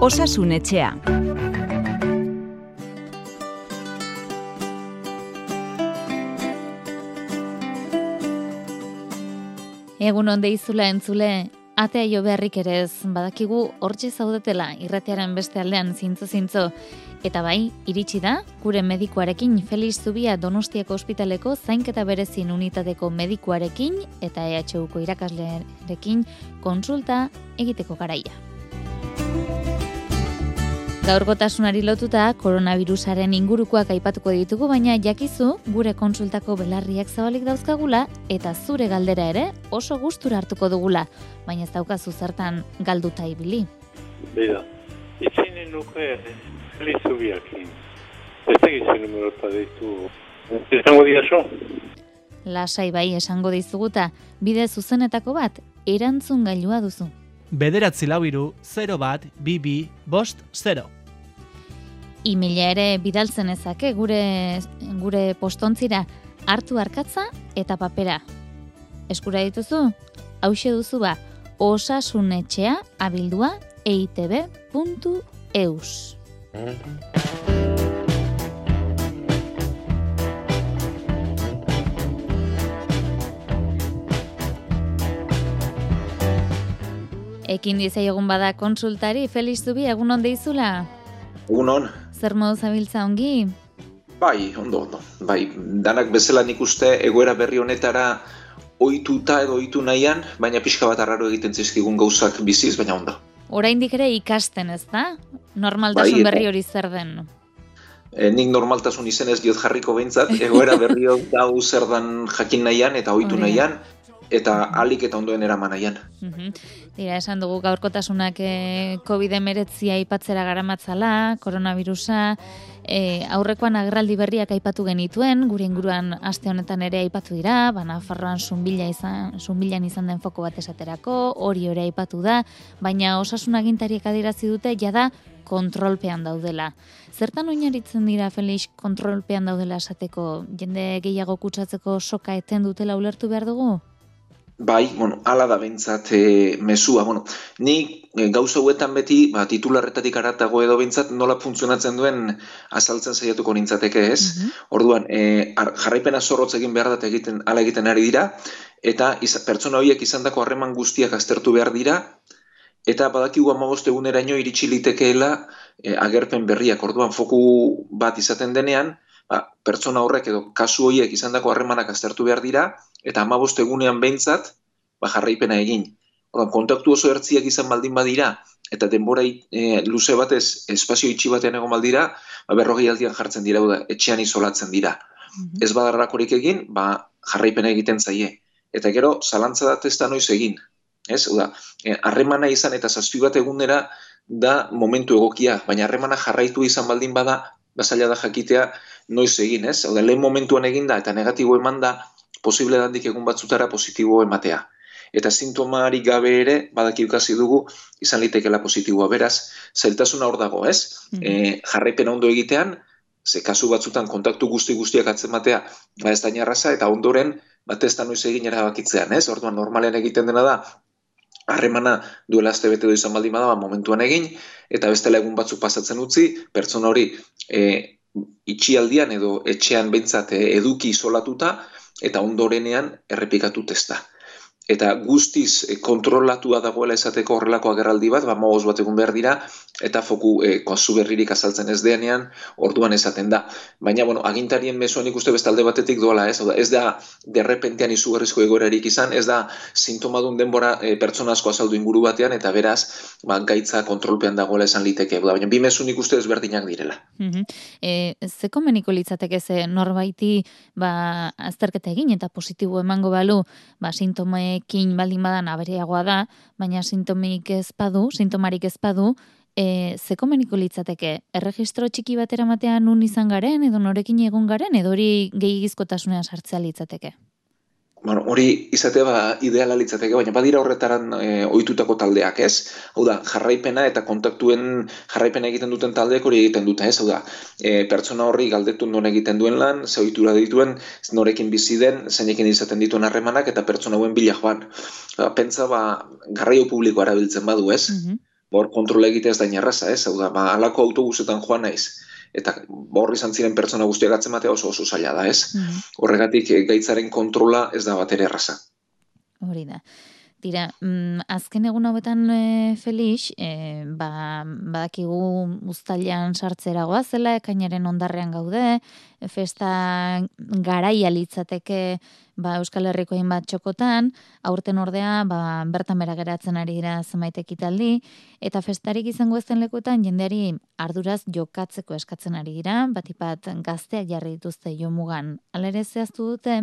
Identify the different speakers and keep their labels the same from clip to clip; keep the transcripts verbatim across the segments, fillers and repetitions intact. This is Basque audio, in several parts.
Speaker 1: Osasun Etxea.
Speaker 2: Egun on deizula entzule, atea jo beharrik ere ez, badakigu hortxe zaudetela irratiaren beste aldean zintzo-zintzo. Eta bai, iritsi da, gure medikuarekin Felix Zubia Donostiako ospitaleko zainketa berezin unitateko medikuarekin eta E H Uko irakaslearekin konsulta egiteko garaia. Gaurkotasunari lotuta koronavirusaren ingurukoak aipatuko ditugu, baina jakizu gure konsultako belarriak zabalik dauzkagula eta zure galdera ere oso gustura hartuko dugula, baina ez daukazu zertan galduta ibili.
Speaker 3: Bida, itzinen nuke Felix Zubiakin. Ez tegizu numerota ditu. Esango diazo?
Speaker 2: Lasai bai esango dizuguta, bide zuzenetako bat, erantzun gailua duzu.
Speaker 4: Bederatzi lau hiru, zero bat, bi bi, bost, zero.
Speaker 2: E-maila ere bidaltzen ezake gure, gure postontzira hartu arkatza eta papera. Eskura dituzu? Hauxe duzu ba, osasunetxea abildua eitb puntu eus. Ekin dizaiogun bada konsultari, Felix Zubia, egun on deizula?
Speaker 5: Egun on.
Speaker 2: Zer modu zabiltza ongi?
Speaker 5: Bai, ondo, ondo. Bai, danak bezala nik uste egoera berri honetara ohituta edo ohitu nahian, baina pixka bat arraro egiten zizkigun gauzak biziz, baina ondo.
Speaker 2: Oraindik ere ikasten ez da? Normaltasun
Speaker 5: bai,
Speaker 2: berri hori zer den?
Speaker 5: E, nik normaltasun izenez diot jarriko behintzat, egoera berri hau zer dan jakin nahian eta ohitu nahian, eta alik eta ondoen eraman nahian.
Speaker 2: Uh-huh. Dira, esan dugu gaurkotasunak eh, covid hemeretzi aipatzera garamatzala, koronavirusa, eh, aurrekoan agerraldi berriak aipatu genituen, gure inguruan aste honetan ere aipatu dira, bana Nafarroan zunbila izan, zunbilan izan den foko bat esaterako, hori ere aipatu da, baina osasun agintariek adierazi dute jada kontrolpean daudela. Zertan oinarritzen dira, Felix, kontrolpean daudela esateko, jende gehiago kutsatzeko soka eten dutela ulertu behar dugu?
Speaker 5: Bai, bueno, ala da bentsat e, mesua. Bueno, ni e, gauza huetan beti, ba, titularretatik aratago edo bentsat nola funtzionatzen duen azaltzen saiatuko nintzateke ez. Uh-huh. Orduan, e, ar, jarraipena zorrotz egin behar dat egiten, ala egiten ari dira, eta iz, pertsona horiek izandako harreman guztiak aztertu behar dira, eta badakigu hamabost eguneraino iritsi litekeela e, agerpen berriak. Orduan, foku bat izaten denean, ba, pertsona horrek edo kasu horiek izandako harremanak aztertu behar dira, eta hamabost egunean behintzat, ba, jarraipena egin. Orduan, kontaktu oso ertziak izan baldin badira, eta denbora e, luze batez, espazio itxi batean egon baldira, ba, berrogei aldian jartzen dira, da, etxean isolatzen dira. Mm-hmm. Ez badarrakorik egin, ba, jarraipena egiten zaie. Eta gero, zalantza da testa noiz egin. Ez, oda, harremana izan eta zazpi bat egunera da momentu egokia, baina harremana jarraitu izan baldin bada, bazaila da jakitea noiz egin, ez? Oda, lehen momentuan eginda eta negatibo eman da, posible dandik egun batzutara positibo ematea. Eta sintomarik gabe ere, badaki ukasi dugu, izan litekela positiboa. Beraz, zailtasuna hor dago, ez? Mm-hmm. E, jarraipena ondo egitean, ze kasu batzutan kontaktu guzti-guztiak atzematea, ba ez da inarraza, eta ondoren, bat ez da noiz egin erabakitzean, ez? Orduan, normalean egiten dena da, harremana duela aste bete izan baldin bada, ba, momentuan egin, eta bestela egun batzuk pasatzen utzi, pertsona hori e, itxialdian edo etxean behintzat eduki isolatuta, eta ondorenean errepikatu testa. Eta guztiz e, kontrolatua dagoela esateko horrelako agerraldi bat, ba hamabost bat egun behar dira, eta foku e, kasu berririk azaltzen ez denean, orduan esaten da. Baina, bueno, agintarien mezuan ikuste bestalde batetik doala, ez? Ez da derrepentean izugarrizko egoerarik izan, ez da sintomadun denbora e, pertsona asko azaldu inguru batean, eta beraz, ba, gaitza kontrolpean dagoela esan liteke. Baina, bi mezu nik uste ezberdinak direla.
Speaker 2: Uh-huh. E, ze komeniko litzateke ze norbaiti ba, azterketa egin eta positibo emango balu, ba, sintomekin baldin badan abereagoa da, baina sintomik ez badu, sintomarik ez badu, e, ze komeniko litzateke? Erregistro txiki batera matean nun izan garen, edo norekin egon garen, edo hori gehiagizkotasunean sartzea litzateke?
Speaker 5: Bueno, hori izatea ba, ideala litzateke, baina badira horretaran e, ohitutako taldeak, ez? Hau da, jarraipena eta kontaktuen jarraipena egiten duten taldeak hori egiten dute, ez? Hau da, e, pertsona horri galdetu non egiten duen lan, ze ohitura dituen, norekin bizi den, zeinekin izaten dituen harremanak eta pertsona hauen bila joan. Ba, pentsa, ba, garraio publikoa erabiltzen badu, ez? Mm-hmm. Hor kontrola egitea ez da inerraza, ez? Hau da, ba, alako autobusetan joan naiz, eta hor izan ziren pertsona guztiak atzematea oso oso zaila da, ez? Mm-hmm. Horregatik gaitzaren kontrola ez da batere erraza.
Speaker 2: Hori da. Tira, mm, azken egun hauetan e, Felix, e, ba, badakigu uztailean sartzera goazela, ekainaren ondarrean gaude, festa garaia litzateke ba, Euskal Herriko hainbat txokotan, aurten ordea ba, bertan bera geratzen ari dira zenbait ekitaldi, eta festarik izango ezen lekuetan jendeari arduraz jokatzeko eskatzen ari dira, batipat gazteak jarri dituzte jomugan. Hala ere zehaztu dute,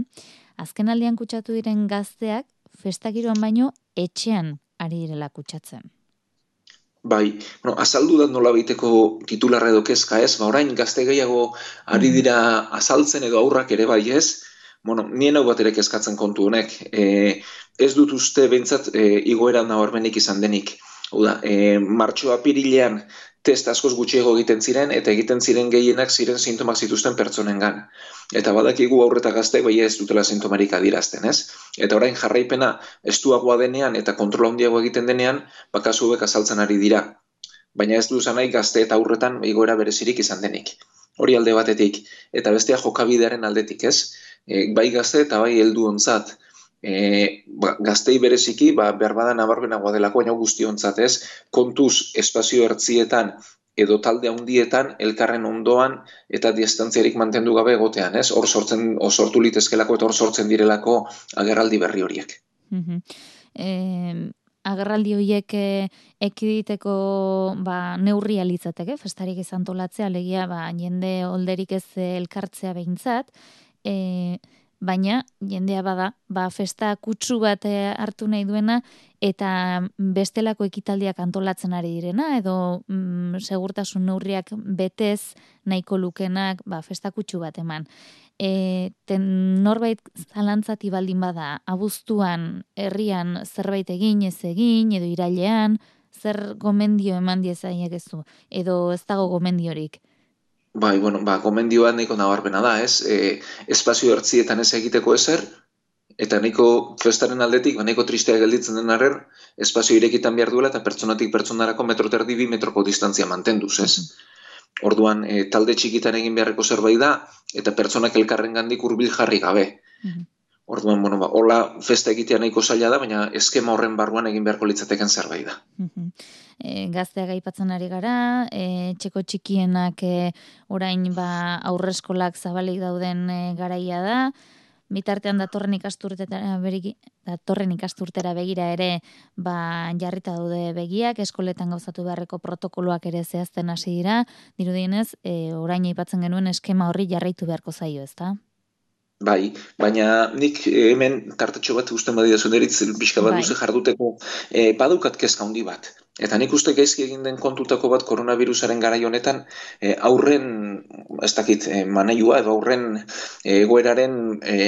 Speaker 2: azken aldian kutsatu diren gazteak, festagiroan baino etxean ari direla kutsatzen.
Speaker 5: Bai, bueno, azaldu da nola baiteko titularra edo kezka ez, ba orain gazte gehiago ari dira azaltzen edo aurrak ere bai ez, bueno, nien hau bat ere kezkatzen kontu honek, e, ez dut uste behintzat e, igoera nabarmenik izan denik. Hau da, e, martxo apirilean test askoz gutxiago egiten ziren, eta egiten ziren gehienak ziren sintomak zituzten pertsonengan. Eta badakigu aurreta gazteek bai ez dutela sintomarik adierazten, ez? Eta orain jarraipena estuagoa denean eta kontrola handiago egiten denean, bakasu hauek azaltzen ari dira. Baina ez du esan nahi gazte eta aurretan igoera berezirik izan denik. Hori alde batetik, eta bestea jokabidearen aldetik, ez? E, bai gazte eta bai heldu ontzat. E, ba, gaztei bereziki, ba, berbada nabarmenagoa delako, baina guztiontzat ez, kontuz espazio ertzietan edo talde handietan elkarren ondoan eta distantziarik mantendu gabe egotean, ez? Hor sortzen, hor sortu litezkelako eta hor sortzen direlako agerraldi berri horiek.
Speaker 2: Mm-hmm. eh, agerraldi horiek ekiditeko ba, neurria litzateke, festarik ez antolatzea, alegia ba, jende olderik ez elkartzea behintzat, eh, baina jendea bada, ba, festa kutsu bat hartu nahi duena eta bestelako ekitaldiak antolatzen ari direna, edo mm, segurtasun neurriak betez nahiko lukenak ba, festa kutsu bat eman. E, ten norbait zalantzati baldin bada, abuztuan, herrian zerbait egin, ez egin, edo irailean, zer gomendio eman diezaiek ez du, edo ez dago gomendiorik?
Speaker 5: Bai, bueno, ba, gomendioa nahiko nabarmena da, ez? E, espazio ertzietan ez egiteko ezer, eta nahiko festaren aldetik, ba, nahiko tristea gelditzen den arren, espazio irekitan behar duela eta pertsonatik pertsonarako metro terdi bi metroko distantzia mantenduz, ez? Orduan, e, talde txikitan egin beharreko zerbait da, eta pertsonak elkarren gandik hurbil jarri gabe. Orduan, bueno, ba, hola festa egitea nahiko zaila da, baina eskema horren barruan egin beharko litzateken zerbait da.
Speaker 2: E, gazteak aipatzen ari gara, e, txeko txikienak e, orain ba, aurreskolak zabalik dauden e, garaia da, bitartean datorren ikasturtera, beriki, datorren ikasturtera begira ere ba, jarrita daude begiak, eskoletan gauzatu beharreko protokoloak ere zehazten hasi dira, dirudienez, e, orain aipatzen genuen eskema horri jarraitu beharko zaio, ezta?
Speaker 5: Bai, baina nik hemen tartetxo bat usten badidazu deritz, pixka bat duze jarduteko, e, badukat kezka handi bat. Eta nik uste gaizki egin den kontutako bat koronavirusaren garai honetan e, aurren, ez dakit, e, maneiua edo aurren egoeraren e,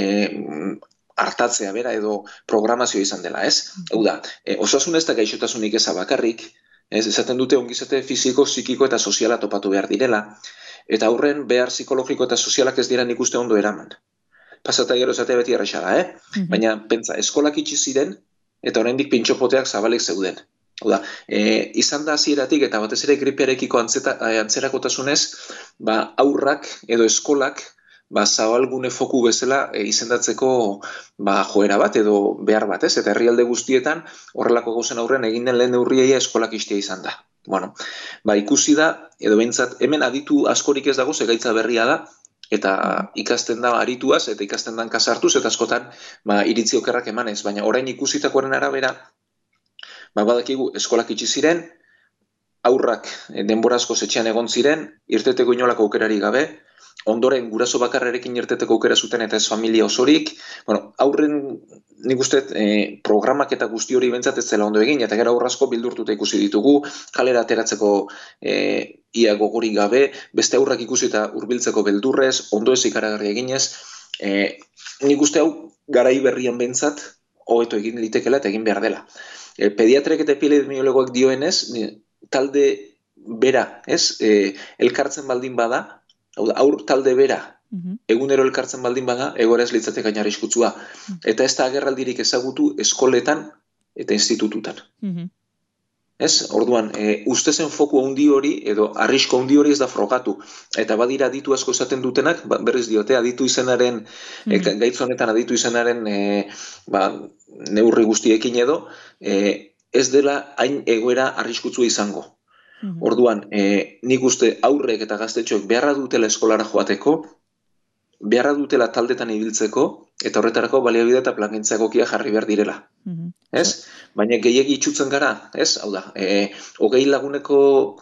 Speaker 5: hartatzea bera edo programazio izan dela, ez? Hau da, e, osasun ez da gaixotasunik eza bakarrik, ez, esaten dute ongizate fisiko, psikiko eta soziala topatu behar direla, eta aurren behar psikologiko eta sozialak ez dira nik uste ondo eraman. Pasata gero esatea beti erresa da, eh? Mm-hmm. Baina, pentsa, eskolak itxi ziren, eta oraindik pintxopoteak zabalik zeuden. Oda, e, izan da hasieratik eta batez ere gripearekiko antzeta, antzerakotasunez, ba, aurrak edo eskolak ba, zabalgune foku bezala e, izendatzeko ba, joera bat edo behar bat, ez? Eta herrialde guztietan horrelako gauzen aurren egin den lehen neurriaia eskolak istea izan da. Bueno, ba, ikusi da, edo behintzat, hemen aditu askorik ez dago, zegaitza berria da, eta ikasten da arituaz, eta ikasten dan kasartuz, eta askotan ba, iritzi okerrak emanez, baina orain ikusitakoaren arabera, ba, badakigu eskolak itxi ziren, aurrak denbora asko etxean egon ziren, irteteko inolako aukerari gabe, ondoren guraso bakarrerekin irteteko aukera zuten eta ez familia osorik, bueno, aurren nik uste eh, programak eta guzti hori bentsat ez zela ondo egin, eta gero aurrasko bildurtuta ikusi ditugu, kalera ateratzeko eh, ia gogorik gabe, beste aurrak ikusi eta hurbiltzeko beldurrez, ondo ez ikaragarri eginez, eh, nik uste hau garai berrian bentsat, hobeto egin litekela eta egin behar dela. E, pediatrek eta epidemiologoak dioenez, talde bera, ez, e, elkartzen baldin bada, aur talde bera, uh-huh. egunero elkartzen baldin bada, egoera ez litzate gaina arriskutsua. Uh-huh. Eta ez da agerraldirik ezagutu eskoletan eta institututan.
Speaker 2: Uh-huh.
Speaker 5: Ez? Orduan, e, ustezen foku handi hori edo arrisko handi hori ez da frogatu. Eta badira aditu asko esaten dutenak, ba, berriz diote, aditu izenaren, mm. e, gaitz honetan aditu izenaren e, ba, neurri guztiekin edo, e, ez dela hain egoera arriskutsua izango. Mm. Orduan, e, nik uste aurrek eta gaztetxoek beharra dutela eskolara joateko, beharra dutela taldetan ibiltzeko, eta horretarako baliabide eta plangintza egokia jarri behar direla. Mm-hmm. Ez? Baina gehiegi itxutzen gara, ez? Hau da, e, hogei laguneko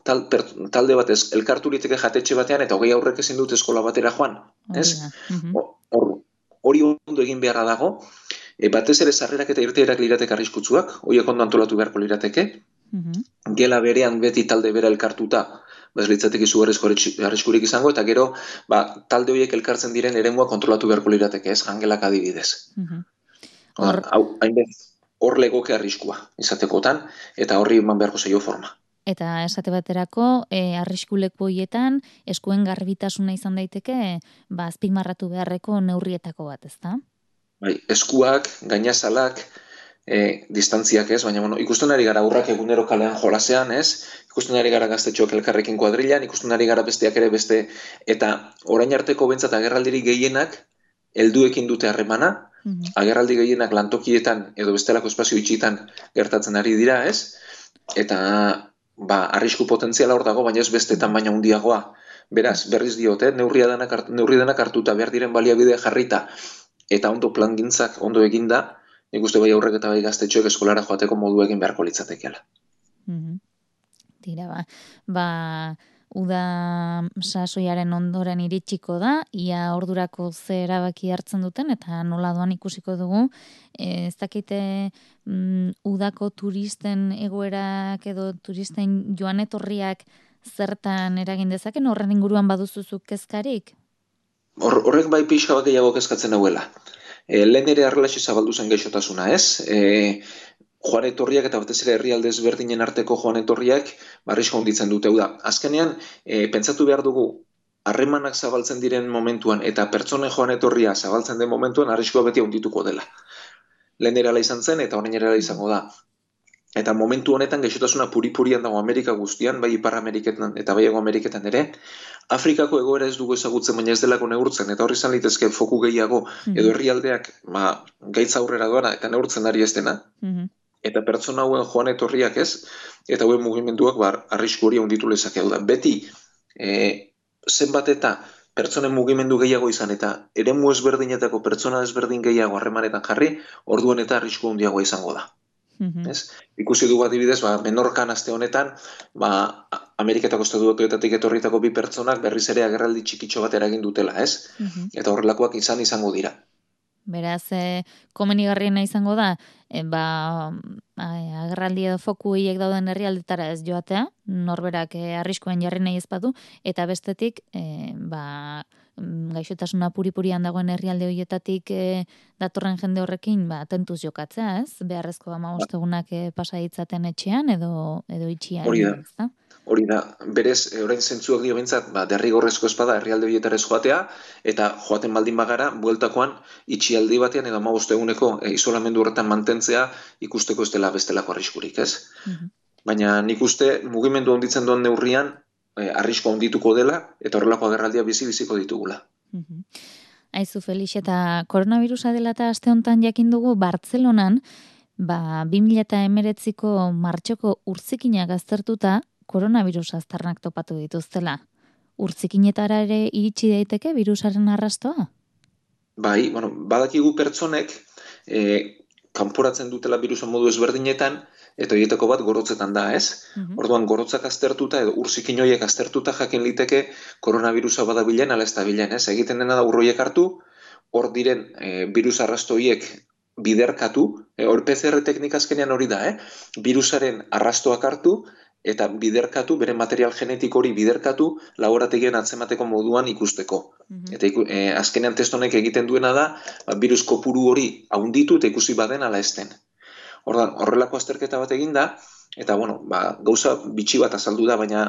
Speaker 5: tal, per, talde batez elkarturiteke jatetxe batean, eta hogei aurrek ezin dut eskola batera joan, ez? Mm-hmm. Hor, hori ondo egin beharra dago, e, batez ere sarrerak eta irteerak lirateke arriskutsuak, horiek ondo antolatu beharko lirateke, mm-hmm. Gela berean beti talde bera elkartuta, bez litzatek izugarrizko arriskurik izango, eta gero, ba, talde horiek elkartzen diren eremua kontrolatu beharko lirateke, ez, jangelak adibidez. Mm-hmm. Hor, hau, hainbez, hor legoke arriskua, izatekotan, eta horri eman beharko zaio forma.
Speaker 2: Eta esate baterako, e, arriskuleko horietan, eskuen garbitasuna izan daiteke, ba, azpimarratu beharreko neurrietako bat, ezta?
Speaker 5: Bai, eskuak, gainazalak, E, distantziak ez, baina bueno, ikusten ari gara aurrak egunero kalean jolasean, ez? Ikusten ari gara gaztetxoak elkarrekin kuadrilan, ikusten ari gara besteak ere beste, eta orain arteko bentsat agerraldiri gehienak helduekin dute harremana, mm-hmm. agerraldi gehienak lantokietan edo bestelako espazio itxitan gertatzen ari dira, ez? Eta ba, arrisku potentziala hor dago, baina ez bestetan baina handiagoa. Beraz, berriz diote, neurri denak, neurri denak hartuta behar diren baliabidea jarrita, eta ondo plangintzak ondo eginda, nik uste bai aurrek eta bai gaztetxoek eskolara joateko modu egin beharko litzatekeela.
Speaker 2: Mm-hmm. Tira, ba, ba, uda sasoiaren ondoren iritsiko da, ia ordurako ze erabaki hartzen duten, eta nola doan ikusiko dugu, e, ez dakite mm, udako turisten egoerak edo turisten joan etorriak zertan eragin dezaken, horren inguruan baduzuzuk kezkarik?
Speaker 5: Hor, horrek bai pixka bat gehiago kezkatzen hauela. E, lehen ere arrelaxi zabaldu zen gaixotasuna, ez? E, joan etorriak eta batez ere herrialde ezberdinen arteko joan etorriak barrizko honditzen dute. Da, azkenean, e, pentsatu behar dugu, harremanak zabaltzen diren momentuan eta pertsonen joan etorria zabaltzen den momentuan arriskoa beti handituko dela. Lehen ere ala izan zen eta orain ere ala izango da. Eta momentu honetan gaixotasuna puri-purian dago Amerika guztian, bai Ipar Ameriketan eta bai Hego Ameriketan ere, Afrikako egoera ez dugu ezagutzen, baina ez delako neurtzen, eta horri izan litezke foku gehiago, edo herrialdeak ba, gaitza aurrera doana eta neurtzen ari ez dena, mm-hmm. eta pertsona hauen joan etorriak ez, eta hauen mugimenduak ba, arrisku hori handitu lezake. Da. Beti, e, zenbat eta pertsonen mugimendu gehiago izan, eta eremu ezberdinetako pertsona ezberdin gehiago harremanetan jarri, orduan eta arrisku handiagoa izango da. Mm-hmm. Ez? Ikusi dugu adibidez, ba, Menorkan aste honetan, ba, Ameriketako estatu batuetatik etorritako bi pertsonak berriz ere agerraldi txikitxo bat eragin dutela, ez? Mm-hmm. Eta horrelakoak izan izango dira.
Speaker 2: Beraz, e, komenigarriena izango da, e, ba, agerraldi edo foku hiek dauden herrialdetara ez joatea, norberak e, arriskoen jarri nahi ez badu, eta bestetik, e, ba, gaixotasuna puri-purian dagoen herrialde horietatik e, datorren jende horrekin ba, tentuz jokatzea, ez? Beharrezko hamabost egunak e, pasa ditzaten etxean edo, edo itxian.
Speaker 5: Hori da, hori da. Berez, orain zentzuak dio bintzat, ba, derrigorrezko espada herrialde horietarez joatea, eta joaten baldin bagara, bueltakoan itxialdi batean edo hamabost eguneko e, isolamendu horretan mantentzea ikusteko ez dela bestelako arriskurik, ez? Mm-hmm. Baina nik uste mugimendu handitzen duen neurrian, Eh, arrisko handituko dela, eta horrelako agerraldia bizi-biziko ditugula.
Speaker 2: Mm-hmm. Aizu, Felix, eta koronavirusa dela eta aste honetan jakin dugu Bartzelonan, ba, bi mila hemeretziko martxoko urtzikinak aztertuta, koronavirus aztarnak topatu dituztela. Urtzikinetara ere iritsi daiteke virusaren arrastoa?
Speaker 5: Bai, bueno, badakigu pertsonek, eh, kanporatzen dutela virusa modu ezberdinetan, eta horietako bat gorotzetan da, ez? Mm-hmm. Orduan, gorotzak aztertuta, edo urzikin horiek aztertuta jakin liteke koronavirusa badabilen, ala ez da bilen, ez? Egiten dena da urroiek hartu, hor diren e, virus arrasto horiek biderkatu, e, hor P C R teknika azkenean hori da, eh? Virusaren arrastoak hartu, eta biderkatu, bere material genetiko hori biderkatu, laborategian atzemateko moduan ikusteko. Mm-hmm. Eta iku, e, azkenean testonek egiten duena da, ba, virus kopuru hori haunditu eta ikusi baden ala ez den. Ordan, horrelako azterketa bat eginda, Eta, bueno, ba, gauza bitxi bat azaldu da, baina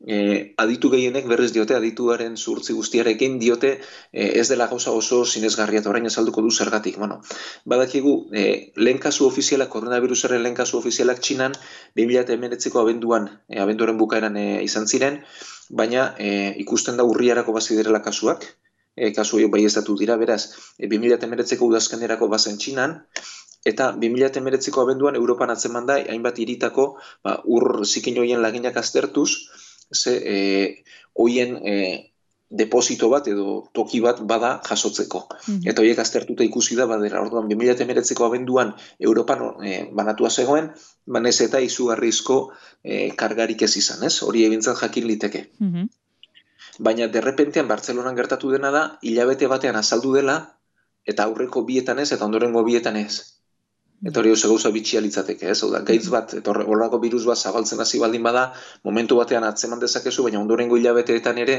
Speaker 5: e, aditu gehienek berriz diote, adituaren zuhurtzi guztiarekin diote e, ez dela gauza oso sinesgarria eta orain azalduko du zergatik. Bueno, badakigu, e, lehen kasu ofizialak, koronavirusaren lehen kasu ofizialak Txinan, bi mila hemeretziko abenduan, e, abenduaren bukaeran e, izan ziren, baina e, ikusten da urriarako baziderela kasuak, e, kasu horiek baieztatu dira, beraz, e, bi mila hemeretziko udazkenerako bazen Txinan, eta bi mila hemeretziko abenduan Europan atzeman da, hainbat hiritako ba, ur zikin hoien laginak aztertuz, ze e, hoien e, deposito bat edo toki bat bada jasotzeko. Mm-hmm. Eta horiek aztertuta ikusi da, badera, orduan bi mila hemeretziko abenduan Europan e, banatua zegoen, banez eta izugarrizko e, kargarik ez izan, ez? Hori egintzat jakin liteke. Mm-hmm. Baina derrepentean Bartzelonan gertatu dena da, hilabete batean azaldu dela, eta aurreko bietan ez, eta ondorengo bietan ez. Eta hori oso gauza bitxia litzateke, ez? Hau da, gaitz bat, eta horrelako virus bat zabaltzen hasi baldin bada, momentu batean atzeman dezakezu, baina ondorengo hilabeteetan ere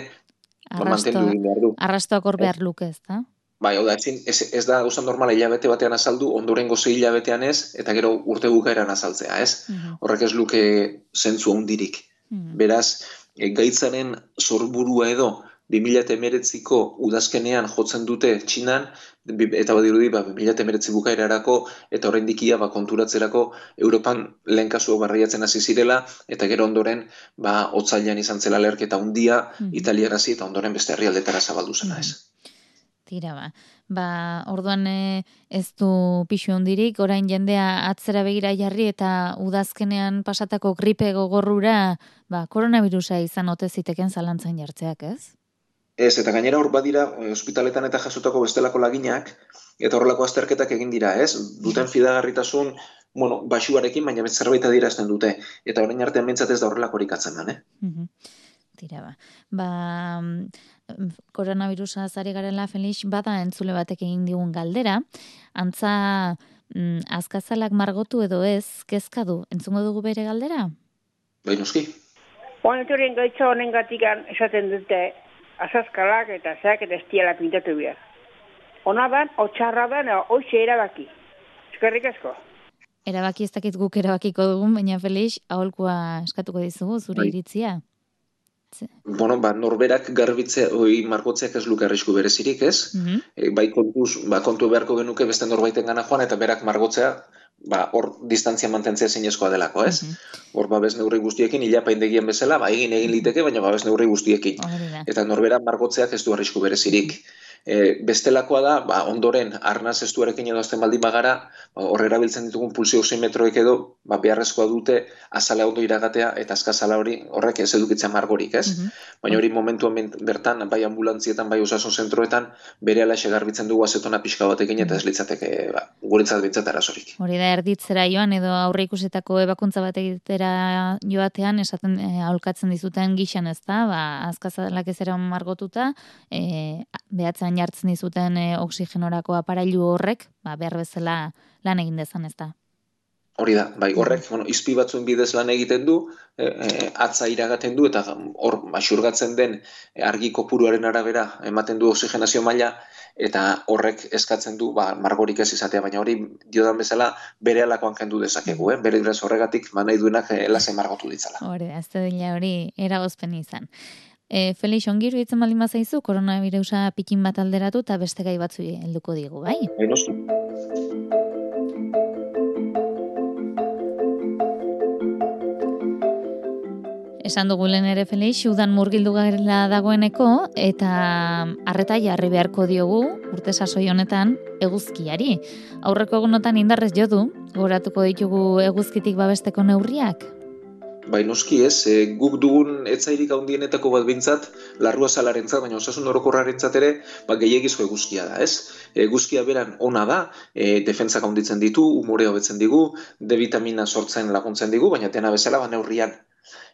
Speaker 5: mantendu egin behar du.
Speaker 2: Arrastoak hor behar luke, ez da?
Speaker 5: Bai, hau da, ez, ez da gauza normala hilabete batean azaldu, ondorengo zei hilabetean ez, eta gero urte bukaeran azaltzea, ez? Uh-huh. Horrek ez luke zentzu handirik. Uh-huh. Beraz, e, gaitzaren sorburua edo, bi mila hemeretziko udazkenean jotzen dute Txinan, eta badirudi ba, bi mila hemeretzi bukaerarako eta oraindik ia ba, konturatzerako Europan lehen kasua barriatzen hasi zirela, eta gero ondoren ba, otsailean izan zela leherketa handia mm. Italiarasi eta ondoren beste herrialdetara zabaldu zena, ez.
Speaker 2: Tira ba, ba orduan ez du pixu hondirik, orain jendea atzera begira jarri eta udazkenean pasatako gripe gogorrura ba, koronavirusa izan ote ziteken zalantzan jartzeak, ez?
Speaker 5: Ez, eta gainera hor badira, ospitaletan eta jasotako bestelako laginak, eta horrelako azterketak egin dira, ez? Duten fidagarritasun, bueno, basuarekin, baina zerbait adierazten dute. Eta orain artean bentsat ez da horrelakorik atzen, eh?
Speaker 2: Mm-hmm. Tira ba. Ba, koronavirusa zari garela, Felix, bada entzule batek egin digun galdera, antza mm, azkazalak margotu edo ez, kezka du, entzungo dugu bere galdera?
Speaker 5: Bai, noski.
Speaker 1: Honeturen gaitza honen gatikan esaten dute, azazkalak eta zeak eta estialak pintatu behar. Ona dan, otxarra dan, hoxe erabaki. Eskerrik asko.
Speaker 2: Erabaki ez dakit guk erabakiko dugun, baina Felix, aholkua eskatuko dizugu, zure bai. Iritzia.
Speaker 5: Bueno, ba, norberak garbitzea, oi, margotzeak ez luke arrisku berezirik, ez? Mm-hmm. E, bai kontuz, ba, kontu beharko genuke beste norbaiten gana joan, eta berak margotzea, ba, hor distantzia mantentzea zinezkoa delako, ez? Mm-hmm. Hor babes neurri guztiekin, ilapaindegian bezala, ba, egin egin liteke, baina babes neurri guztiekin. Oh, eta norbera margotzeak ez du arrisku berezirik. E, bestelakoa da, ba, ondoren, arnaz estuarekin edo azten baldin bagara, ba, hor erabiltzen ditugun pulsio oximetroek edo, ba, beharrezkoa dute azala ondo iragatea, eta azkazala hori horrek ez edukitzen margorik, ez? Mm-hmm. Baina hori momentuan bertan, bai ambulantzietan, bai osasun zentroetan, bere alaxe garbitzen dugu azetona pixka batekin, eta ez litzateke, ba, guretzat bintzat arazorik.
Speaker 2: Hori da, erditzera joan, edo aurre ikusetako ebakuntza bat egitera joatean, esaten e, aholkatzen dizuten gixan, ez da, ba, azkazalak ez era margotuta, e, behatzen jartzen dizuten e, oxigenorako aparailu horrek, ba, behar bezala lan egin dezan, ez da.
Speaker 5: Hori da, bai, horrek, bueno, izpi batzuen bidez lan egiten du, e, e, atza iragaten du, eta hor, xurgatzen den argi kopuruaren arabera ematen du oxigenazio maila, eta horrek eskatzen du, ba, margorik ez izatea, baina hori diodan bezala bere alakoan kendu dezakegu, eh? Bere graz horregatik, ba, nahi duenak e, lasen margotu ditzala.
Speaker 2: Hori, ez da dila hori eragozpen izan. E, Felix, ongiru itzen baldin bazaizu, koronavirusa pikin bat alderatu eta beste gai batzu helduko digu, bai?
Speaker 5: Bai, noski.
Speaker 2: Esan dugu lehen ere, Felix, udan murgildu garela dagoeneko, eta arreta jarri beharko diogu, urte sasoi honetan, eguzkiari. Aurreko egunotan indarrez jo du, goratuko ditugu eguzkitik babesteko neurriak?
Speaker 5: Bai, noski ez, e, guk dugun etzairik handienetako bat bintzat, larrua salarentzat, baina osasun orokorrarentzat ere, ba, gehiagizko eguzkia da, ez? Eguzkia beran ona da, e, defentsak handitzen ditu, umore hobetzen digu, D vitamina sortzen laguntzen digu, baina dena bezala ba neurrian.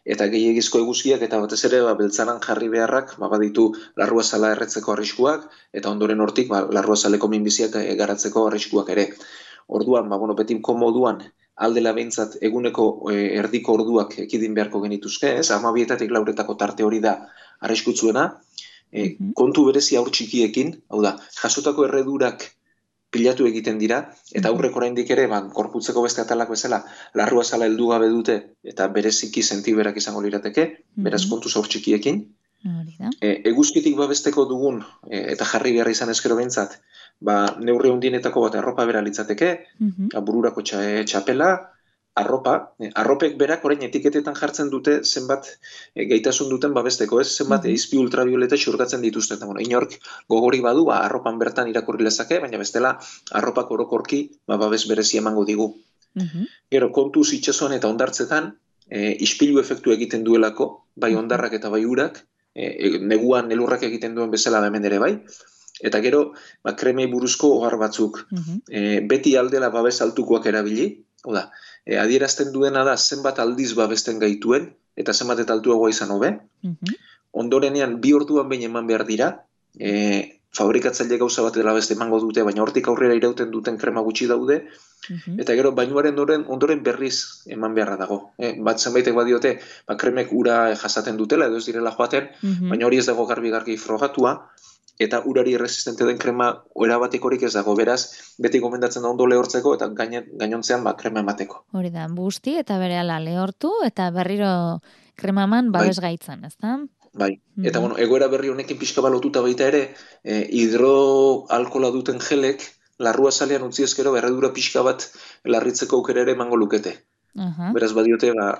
Speaker 5: Eta gehiagizko eguzkiak eta batez ere ba, beltzaran jarri beharrak ba, baditu larrua sala erretzeko arriskuak, eta ondoren hortik ba, larrua saleko minbiziak e, garatzeko arriskuak ere. Orduan, ba, bueno, betinko moduan, aldela behintzat eguneko e, erdiko orduak ekidin beharko genituzke, ez? Hamabietatik lauretako tarte hori da arriskutsuena. E, mm-hmm. Kontu berezi aur txikiekin, hau da, jasotako erredurak pilatu egiten dira, eta aurrek oraindik ere, ba, gorputzeko beste atalak bezala, larrua zala heldu gabe dute, eta bereziki sentiberak izango lirateke, beraz kontu zaur txikiekin. E, eguzkitik babesteko dugun, e, eta jarri behar izan eskero behintzat, ba, neurri hundienetako bat arropa bera litzateke, bururako txa, e, txapela, arropa, eh, arropek berak orain etiketetan jartzen dute zenbat eh, gaitasun duten babesteko, ez? Zenbat mm -hmm. izpi ultravioleta xurgatzen dituzten. Eta, bueno, inork gogori badu, ba, arropan bertan irakurri lezake, baina bestela arropak orokorki ba, babes berezi emango digu. Mm -hmm. Gero, kontuz itxasuan eta ondartzetan, eh, ispilu efektu egiten duelako, bai ondarrak eta bai urak, eh, neguan elurrak egiten duen bezala hemen ere bai, eta gero, ba, kremei buruzko ohar batzuk. Mm -hmm. eh, beti aldela babes altukoak erabili, oda, E, adierazten duena da zenbat aldiz babesten gaituen, eta zenbat eta altuagoa izan hobe. Mm-hmm. Ondorenean, bi orduan behin eman behar dira, e, fabrikatzaile gauza bat dela beste emango dute, baina hortik aurrera irauten duten krema gutxi daude, mm-hmm. eta gero bainuaren ondoren, ondoren berriz eman beharra dago. E, bat zenbaitek badiote, ba, kremek ura jasaten dutela, edo ez direla joaten, mm-hmm. baina hori ez dago garbi-garbi frogatua, eta urari resistente den krema erabatekorik ez dago, beraz, beti gomendatzen da ondo lehortzeko, eta gainontzean ba, krema emateko.
Speaker 2: Hori da, busti eta berehala lehortu, eta berriro kremaman babes bai. Gaitzan, ez da?
Speaker 5: Bai, mm-hmm. eta bueno, egoera berri honekin pixka balotuta baita ere, eh, hidroalkola duten gelek, larrua zalean utzi ezkero, berredura pixka bat larritzeko aukera ere emango lukete. Uh-huh. Beraz, badiote, ba,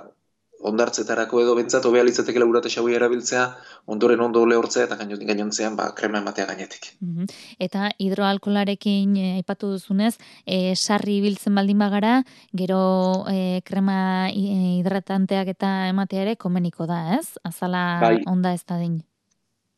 Speaker 5: ondartzetarako edo bentsat, hobea litzatekela urate xaui erabiltzea, ondoren ondo lehortzea eta gainontzean ba, krema ematea gainetik.
Speaker 2: Mm-hmm. Eta hidroalkolarekin aipatu e, duzunez, e, sarri ibiltzen baldin bagara, gero e, krema hidratanteak eta ematea ere komeniko da, ez? Azala bai. Onda ez da din.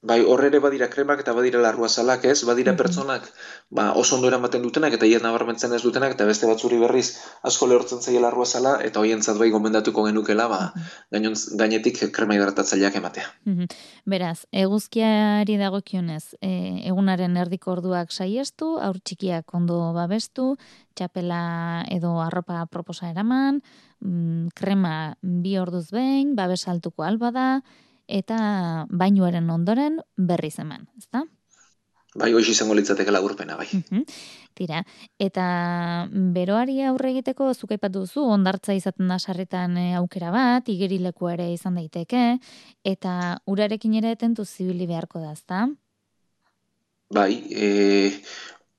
Speaker 5: Bai, horre badira kremak eta badira larrua zalak, ez? Badira mm-hmm. pertsonak ba, oso ondo eramaten dutenak eta hiet nabarmentzen ez dutenak, eta beste batzuri berriz asko lehortzen zaila larrua zala, eta hoientzat bai gomendatuko genukela, ba, mm-hmm. gainetik krema hidratatzaileak ematea.
Speaker 2: Mm-hmm. Beraz, eguzkiari dagokionez, e, egunaren erdiko orduak saiestu, aur txikiak ondo babestu, txapela edo arropa proposa eraman, mm, krema bi orduz behin, babes altuko alba da, eta bainuaren ondoren berriz eman, ezta?
Speaker 5: Bai, hoiz izango litzateke laburpena, bai.
Speaker 2: Uh-huh. Tira, eta beroari aurre egiteko zuk aipatu duzu, ondartza izaten da sarritan aukera bat, igerileku ere izan daiteke, eta urarekin ere tentu zibili beharko da, ezta?
Speaker 5: Bai, e,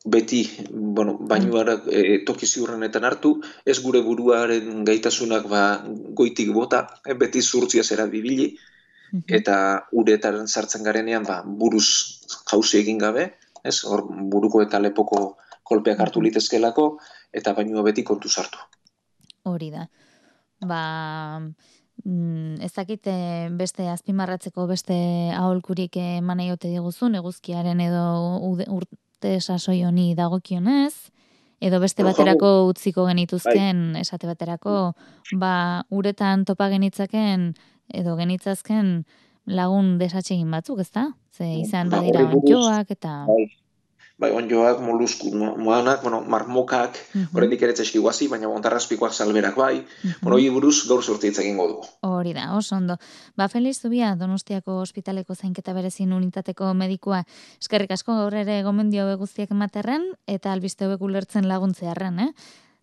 Speaker 5: beti, bueno, bainuarak e, toki ziurrenetan hartu, ez gure buruaren gaitasunak ba, goitik bota, e, beti zurtziaz erabibili, eta uretaren sartzen garenean ba, buruz jauzi egin gabe, ez? Hor buruko eta lepoko kolpeak hartu litezkelako, eta bainua beti kontu sartu.
Speaker 2: Hori da. Ba, mm, ez dakit beste azpimarratzeko beste aholkurik eman egote diguzun, eguzkiaren edo urte sasoi honi dagokionez, edo beste baterako utziko genituzken, esate baterako, ba, uretan topa genitzaken, edo genitzazken lagun desatsegin batzuk, ezta? Ze izan badira onjoak eta...
Speaker 5: Bai, bai onjoak, molusku, moanak, bueno, marmokak, uh-huh. horrendik ere txeski guazi, baina ontarrazpikoak salberak bai, uh-huh. bueno, hori buruz gaur sortitza egingo dugu.
Speaker 2: Hori da, oso ondo. Ba, Feliz Zubia, Donostiako ospitaleko zainketa berezin unitateko medikua, eskerrik asko gaur ere gomendio guztiak ematerren, eta albiste hobek ulertzen laguntzearren, eh?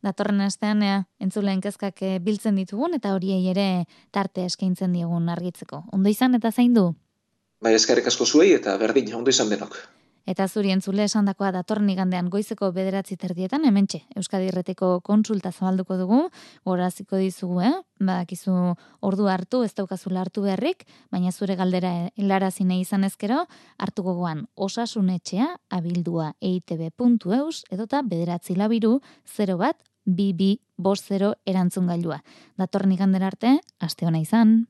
Speaker 2: Datorren astean ea, entzuleen kezkak biltzen ditugun eta horiei ere tarte eskaintzen diegun argitzeko. Ondo izan eta zaindu?
Speaker 5: Bai, eskerrik asko zuei eta berdin, ondo izan denok.
Speaker 2: Eta zuri entzule esandakoa datorren igandean goizeko bederatzi terdietan, hementxe, Euskadi Irratiko kontsulta zabalduko dugu, goraziko dizugu, eh? Badakizu ordu hartu, ez daukazula hartu beharrik, baina zure galdera helarazine izan ezkero, hartu gogoan osasunetxea, abildua eitb puntu eus, edota bederatzi labiru, zero bat, bi bi bost zero erantzun gailua. Datorren igandera arte, aste ona izan.